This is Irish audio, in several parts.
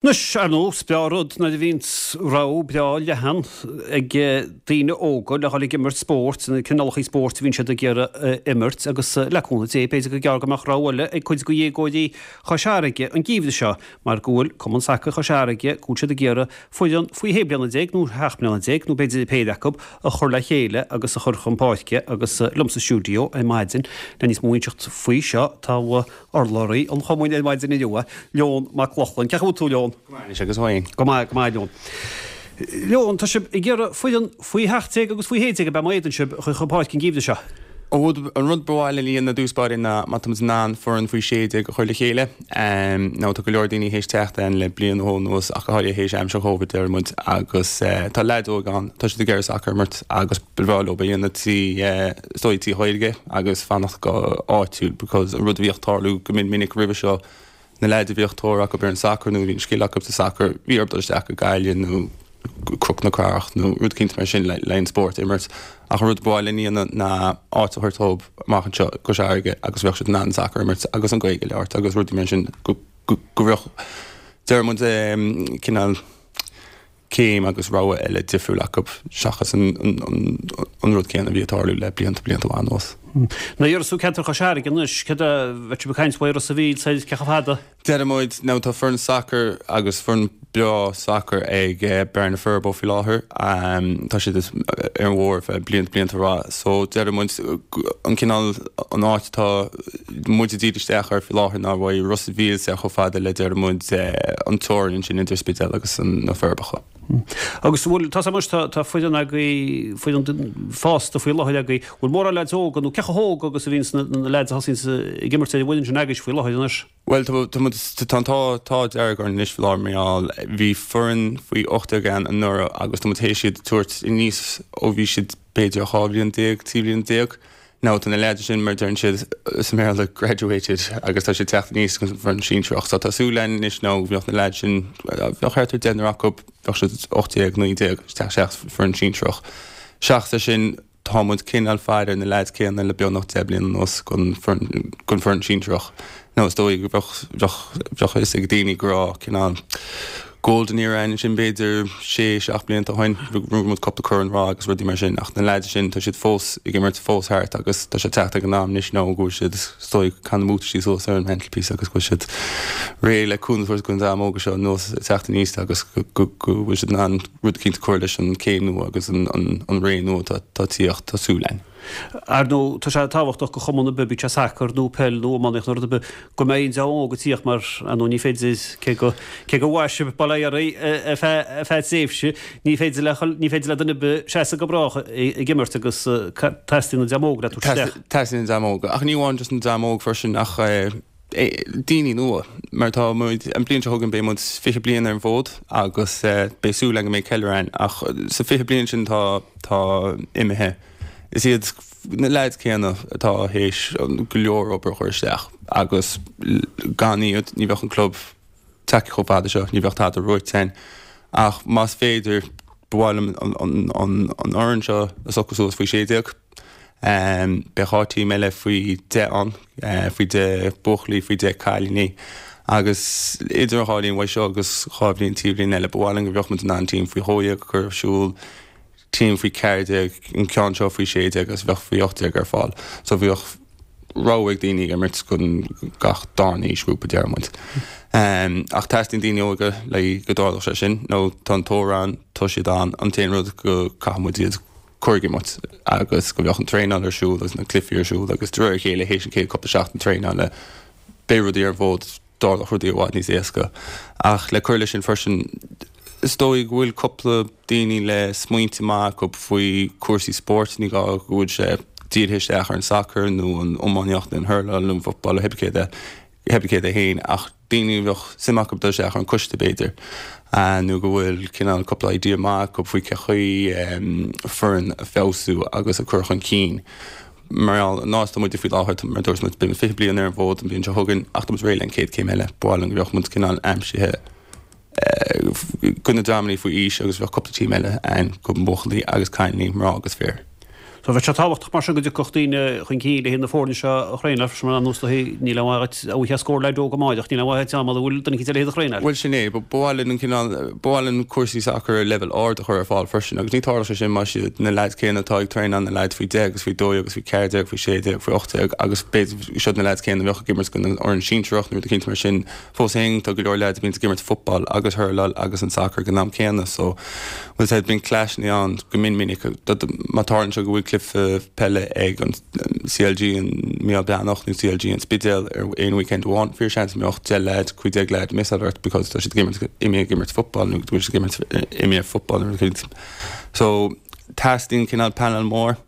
Anois, ar ndóigh, is breá rud nuair a bhíonns rogha breá leathan ag daoine óga le dhul ag imirt spóirt, na cineálacha spóirt a bhíonn siad ag iarraidh imirt agus le cúnamh Dé, b'fhéidir gur gearr go mbeadh rogha eile ag cuid de dhéagóirí Chois Fharraige an geimhreadh seo mar go bhfuil Cumann Sacair Chois Fharraige, go bhfuil siad ag iarraidh foireann faoi shé bliana déag nó sheacht mbliana déag nó b'fhéidir péire acu a chur le chéile agus a chur chun páirce agus liom sa stiúideo ar maidin le níos mó a inseacht faoi seo tá Urlabhraí an chumainn ar maidin inniu, Leon Mac Lochlainn. Cén chaoi a bhfuil tú, Leon? Go maith anois, agus thú fhéin? Go maith, go maith, Leon. Leon, tá sibh ag iarraidh foireann faoi 17 agus faoi 16 ab ea má fhéadann sibh a chur chun páirce an geimhreadh seo? An rud ba mhaith linn a dhéanamh i dtús báire ná má tá muid in ann foireann faoi 16 a chur le chéile. Now tá go leor daoine théis teacht ann le bliain nó dhó anuas ach go háirithe théis aimsir Covid deir muid agus tá leaids óga ann, tá siad ag iarraidh sacar a imirt agus ba bhreá leo é a dhéanamh trí is dóigh trí Ghaeilge agus fanacht go áitiúil because an rud a bhíodh tarlú go min minic roimhe seo na leaids a bhíodh tóir acu ar an sacar nó bhí an scil acu sa sacar bhí orthu dul isteach go Gaillimh nó Cnoc na Cathrach nó rud eicínt mar sin le le an spórt a imirt ach an rud ba mhaith linn a dhéanamh ná áit a thabhairt dóibh amach anseo i gCois Fharraige agus bheadh siad in ann sacar a imirt agus an Ghaeilge a labhairt agus rudaí mar sin go go go bheadh deir muid cineál céim agus rogha eile difriúil acu seachas an rud céanna a bhí ag tarlú le blianta, blianta mhaith anuas. Nuair a déarfas tú ceantar Chois Fharraige anois, céard a bheadh sibh ag caint faoi Ros a' Mhíl soir cé chomh fada? Deir muid, now tá foireann sacair agus foireann breá sacair ag Bearna Furbo faoi láthair, tá siad ar an bharr le blianta, blianta mhaith so deir muid an cineál, an áit atá muid ag díriú isteach air faoi láthair ná uaidh Ros a' Mhíl soir chomh fada le deir muid an teorainn ansin idir Spidéal agus na Forbacha. Agus an bhfuil, tá anois, tá tá foireann agaibh, foireann fásta faoi láthair agaibh, bhfuil mórán leaids óga nó cé chomh hóg agus a bhíonns na na leaids a thosaíonns ag imirt ar an bhfoireann sin agaibhse faoi láthair anois? Bhuel tá tá muid tá an t-ádh t-ádh dearg orainn anois faoi láthair mar gheall bhí foireann faoi 18 againn anuraidh agus tá muid théis iad a tabhairt aníos ó bhí siad b'fhéidir 12 bhliain, 13 bhliain. Now tá na leaids sin, mar a deireann siad sa mBéarla, graduated agus tá siad teacht aníos chun an foireann sinsearach. So tá súil againn anois now go mbeadh na leaids sin, bheadh thart ar deichniúr acu, bheadh siad 18, 19, ag teacht isteach sa foireann sinsearach. Seachas é sin, tá muid cineál faire ar na leaids céanna le beagnach 10 bliana anuas don foireann sinsearach. Now is dóigh go bheadh, bheadh, bheadh a fhios ag daoine go raibh cineál golden era ann ansin b'fhéidir sé, seacht blianta ó shin, bhuaigh muid cúpla corn Ráth agus rudaí mar sin ach na leaids sin tá siad fós ag imirt fós thart agus tá sé teacht ag an am anois now go bhfuil siad is dóigh ag caitheamh na mbuataisí suas ar an mantelpiece agus go bhfuil siad réidh le cúnamh a thabhairt don dream óga seo anuas ag teacht aníos agus go, go, go bhfuil siad in ann rud eicínt a chur leis an céim nua agus an, an, an ré nua atá, atá ag tíocht, tá súil againn. Ar ndóigh, tá sé tábhachtach do chumann ar bith, bíodh sé sacar nó peil nó iománaíocht nó rud ar bith, go mbeidh an dream óg ag tíocht mar, ar ndóigh, ní féidir, cé go, cé gur mhair sibh, bail ó Dhia oraibh, ar feadh, ar feadh tréimhse, ní féidir le, ní féidir le duine ar bith seasamh go brách ag imirt agus teastaíonn an dream óg le tabhairt isteach. Teastaíonn an dream óg, ach ní amháin just an dream óg freisin ach daoine nua, mar tá muid, an bliain seo chugainn beidh muid 20 bliain ar an bhfód agus beidh súil againn go mbeidh ceiliúradh ann ach sa 20 bliain sin tá, tá imithe, is iad na leaids céanna atá théis go leor obair a chur isteach agus gan iad ní bheadh an club tagtha chomh fada seo, ní bheadh tada buaite againn ach más féidir ba mhaith liom an fhoireann seo a socrú suas faoi 16. Beidh 2 team eile faoi 10 ann, faoi 10 buachaillí, faoi 10 cailíní agus idir an dhá linn, uaidh seo agus dhá bhliain, trí bhliain eile, ba mhaith linn go mbeadh muid in ann team faoi 12 a chur ar siúl, team faoi 14, an ceann seo faoi 16 agus bheadh faoi 18 ar fáil. So bheadh rogha ag daoine ag imirt don gach darna aoisghrúpa, deir muid. Ach teastaíonn daoine óga le go dtarlódh sé sin, nó tá an tóir ann, tá siad ann, an t-aon rud go caithfidh muid iad cur ag imirt agus go mbeadh an traenáil ar siúl agus na cluichí ar siúl agus de réir a chéile théis an chéad cúpla seachtain traenála beidh rudaí ar an bhfód, tarlóidh rudaí i bhfad níos éasca. Ach le cur leis sin freisin is dóigh go bhfuil cúpla daoine le smaointe maith acu faoi cúrsaí spóirt, ní gá go bhfuil sé dírithe isteach ar an sacar nó an iománaíocht nó an hurláil nó an football nó cibé céard é. Cibé céard é féin, ach daoine a bheadh suim acu dul isteach ar an coiste b'fhéidir, nó go bhfuil cineál cúpla idea maith acu faoi cé chaoi foireann a feabhsú agus a cur chun cinn. Mar gheall an áit atá muide faoi láthair, mar a dúirt muid, beidh muid 20 bliain ar an bhfód an bhliain seo chugainn ach tá muid réidh le an chéad céim eile. Ba mhaith linn go mbeadh muid cineál aimsithe do na dreamanna faoi aois agus bheadh cúpla team eile ann do bhuachaillí agus cailíní, mná agus fir. So bheadh sé tábhachtach mar sin go dtiocfadh daoine chun cinn le haghaidh na foirne seo a thraenáil freisin mar ar ndóigh níl aon mhaith duit a bheith scór leaid óg amáireach, níl aon mhaith duit mura bhfuil duine eicínt eile le hiad a thraenáil. Bhuel sin é, ba mhaith linn an cineál, ba mhaith linn cúrsaí sacair ar leibhéal ard a chur ar fáil freisin agus ní tarlódh sé sin más iad na leaids céanna atá ag traenáil na leaids faoi 10 agus faoi 12 agus faoi 14, faoi 16, faoi 18 agus b'fhéidir siod na leaids céanna a bheadh ag imirt don fhoireann sinsearach nó rud eicínt mar sin. Fós féin, tá go leor leaids a bhíonns ag imirt football agus hurláil agus an sacar ag an am céanna so bhfuil said bíonn clashanna ann go min minic. Má tarlaíonn sé go bhfuil cluiche peile ag an CLG an Mícheál Breathnach nó CLG an Spidéal ar aon weekend amháin, fíor seans go mbeadh 10 leaid, 15 leaid missáil ort because tá siad ag imirt imithe ag imirt football nó go bhfuil siad ag imirt imithe football nó rud éicint. So teastaíonn cineál panel mór.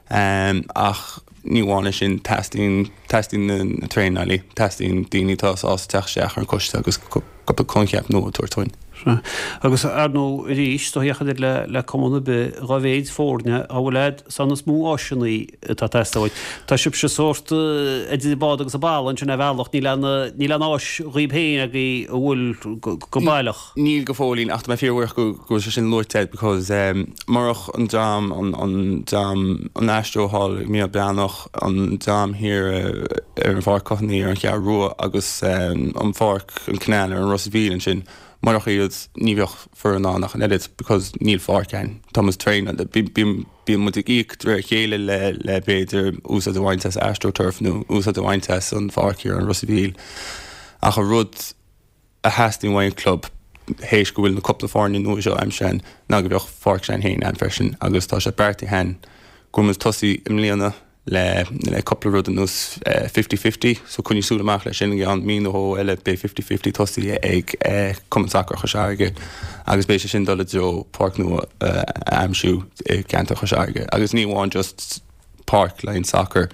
Ach ní amháin é sin, teastaíonn, teastaíonn na traenálaí, teastaíonn daoine atá sásta teacht isteach ar an choiste agus cúpla coincheap nua a tabhairt dúinn. Sea. Agus ar ndóigh arís, do theach idir le, le cumann ar bith, dhá mhéid foirne a bhfuil a'd, san is mó áiseanna atá ag teastáil uait. Tá sibhse sórt idir an bád agus an balla ansin ar bhealach, níl aon, níl aon áis dhaoib féin agaibh a bhfuil go, go baileach. Níl go fóillín ach tá mé fíorbhuíoch go bhfuil sé sin luaite agat because murach an dream, an dream, an Astro thall ag Mícheál Breathnach, an dream thiar ar an Pháirc Courtney ar an Cheathrú Rua agus an Pháirc, an Canal ar an Ros a' Mhíl ansin, murach iad ní bheadh foireann ann ach an oiread because níl pháirc ann. Tá muid traenáil, bíonn muid ag íoc de réir a chéile le le b'fhéidir úsáid a bhaint as AstroTurf nó úsáid a bhaint as an pháirc thiar ar an Ros a' Mhíl ach an rud a theastaíonn uaidh an club théis go bhfuil na cúpla foirne nua seo aimsithe a'inn ná go bheadh pháirc s'a'inn féin a'inn freisin agus tá sé beartaithe a'inn go bhfuil muid tosaí i mbliana le le cúpla rud ar nós fifty fifty so coinnigh súil amach leis sin i gceann mí nó dhó eile beidh fifty fifty tosaithe ag Cumann Sacair Chois Fharraige agus beidh sé sin dul i dtreo páirc nua a aimsiú i gceantar Chois Fharraige agus ní amháin just páirc le haghaidh sacair.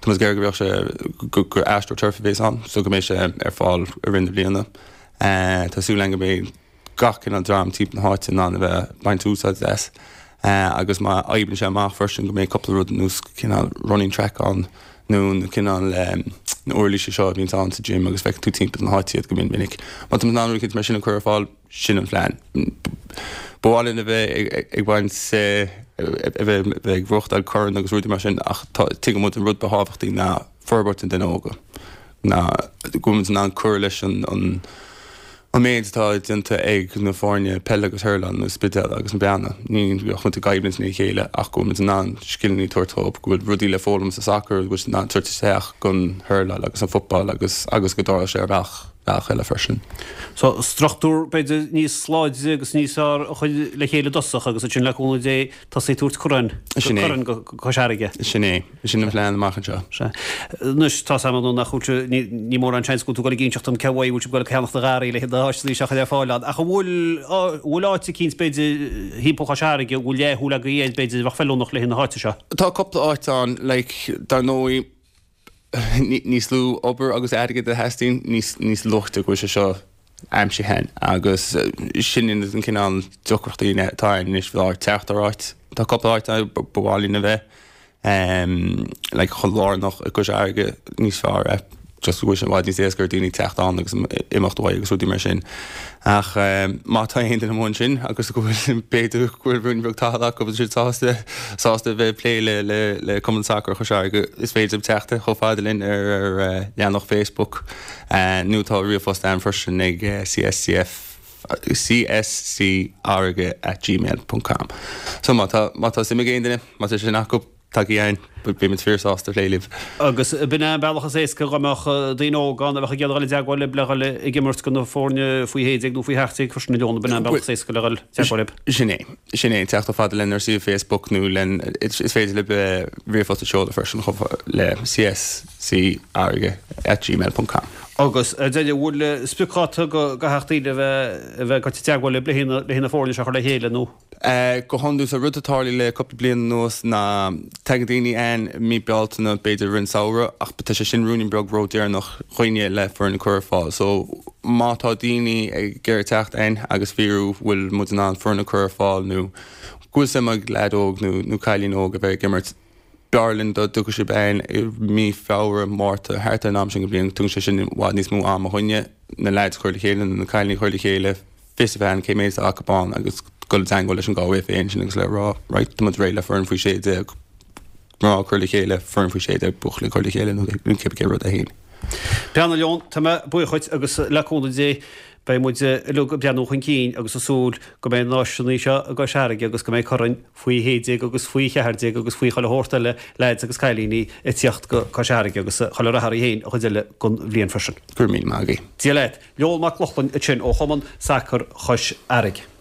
Tá muid ag iarraidh go mbeadh sé, gur AstroTurf a bhéas ann so go mbeidh sé ar fáil i rith na bliana. Tá súil againn go mbeidh gach cineál dream timpeall na háite in ann a bheith ag baint úsáid as agus má oibríonn sé amach freisin go mbeidh cúpla rud ar nós cineál running track ann nó na cineál na uirlisí seo a bhíonns ann sa gym agus feiceann tú timpeall na háite iad go mion minic. Má tá muid in ann rud éicint mar sin a chur ar fáil, Sin an phlean. Ba mhaith linn a bheith ag baint, a bheith ag reáchtáil corn agus rudaí mar sin ach tuigeann muid an rud ba thábhachtaí ná forbairt an duine óga, ná go bhfuil muid in ann cur leis an an méid atá déanta ag na foirne peile agus hurláil an Spidéal agus na Beanna. Ní go mbeadh muid i gcoimhlint lena chéile ach go bhfuil muid in ann scileanna a tabhairt dóibh, go bhfuil rudaí le foghlaim sa sacar go bhfuil siad in ann tabhairt isteach don hurláil agus an football agus agus go dtarlódh sé ar bhealach. bealach eile freisin. So, struchtúr, b'fhéidir, níos láidre agus níos fearr a chur le chéile i dtosach agus ansin le cúnamh Dé tosaí ag tabhairt corn, Sin é. corn go Cois Fharraige. Sin é. Sin an plean amach anseo. Sea. Anois, tá 's a'm nó nach bhfuil sé, ní, ní mórán seans go bhfuil tú ag dul ag inseacht dom cé uaidh a bhfuil sibh ag dul ag ceannacht na garraí le haghaidh na háiseanna seo a chur ar fáil ann. Ach an bhfuil, an bhfuil áit eicínt, b'fhéidir, thimpeall Chois Fharraige, a bhfuil leathshúil agaibh air, b'fhéidir, a bheadh feiliúnach le haghaidh na háite seo? Tá cúpla áit ann, like, dar ndóigh, níos lú obair agus airgead a theastaíonn, níos luaite go bhfuil sé seo aimsithe a'inn agus sin an cineál deacrachtaí atá ann anois faoi láthair teacht ar áit. Tá cúpla áit ann ba mhaith linn a bheith like chomh lárnach i gCois Fharraige níos fearr é just go bhfuil sé i bhfad níos éasca ar daoine teacht ann agus imeacht uaidh agus rudaí mar sin. Ach má tá aon duine amuigh ansin agus go bhfuil, b'fhéidir go bhfuil ruainne beag tadhaill acu agus siad sásta, sásta a bheith ag plé le, le, le Cumann Sacair Chois Fharraige, is féidir libh teacht chomh fada linn ar ar leathanach Facebook nó tá ríomhphost ann freisin ag cscf cscfharraige at gmail ponc com. So má tá, má tá suim ag aon duine, má tá sin acu, Tagaigí chugainn, beimid fíor sásta plé libh. Agus b'in é an bealach is éasca dá mbeadh daoine óga ann a bheadh ag iarraidh dul i dteagmháil libh le dhul ag imirt do na foirne faoi 16 nó faoi 17 freisin a Leon, b'in é an bealach is éasca le dhul i dteagmháil libh. Sin é. Sin é. Teacht chomh fada linn ar suíomh Facebook nó len, is féidir libh ríomhphost a sheoladh freisin chomh le cscfharraige at gmail ponc com. Agus ar deireadh, an bhfuil spriocdháta go gcaithfeadh daoine a bheith a bheith ag dul i dteagmháil libh le haghaidh na foirne seo a chur le chéile nó? Go hiondúil, so rud a tarlaíonn le cúpla bliain anuas ná tagann daoine chugainn i mí Bealtaine, b'fhéidir i rith an samhradh, ach tá sé sin ruainnín beag ródheireanach dhúinne le foireann a chur ar fáil. So má tá daoine ag iarraidh teacht chugainn agus fiafraí bhfuil muid in ann foireann a chur ar fáil nó go bhfuil suim ag leaid óg nó nó cailín óg a bheith ag imirt, b'fhearr linn dá dtiocfadh sibh chugainn i mí Feabhra, Márta, thart ar an am sin den bhliain, tugann sé sin i bhfad níos mó ama dhúinne na leaids a chur le chéile nó na cailíní a chur le chéile. fios a bheith ann cé méid atá acu ann agus dul i dteangmháil leis an Galway FA ansin agus le rá right tá muid réidh le foireann faoi 16. mná ag cur le chéile, foireann faoi 16, buachaillí ag cur le chéile nó cibé cé rud é féin. Breathnaigh Leon, tá mé buíoch dhuit agus le cúnamh Dé beidh muid uilig ag breathnú chun cinn agus ag súil go mbeidh na háiseanna seo i gCois Fharraige agus go mbeidh coirn faoi 16 agus faoi 14 agus faoi chuile shórt eile leaids agus cailíní ag tíocht go Cois Fharraige agus chuile rath oraibh féin an chuid eile den bhliain freisin. Go raibh míle maith agaibh. Dia leat. Leon Mac Lochlainn ansin ó Chumann Sacair Chois Fharraige.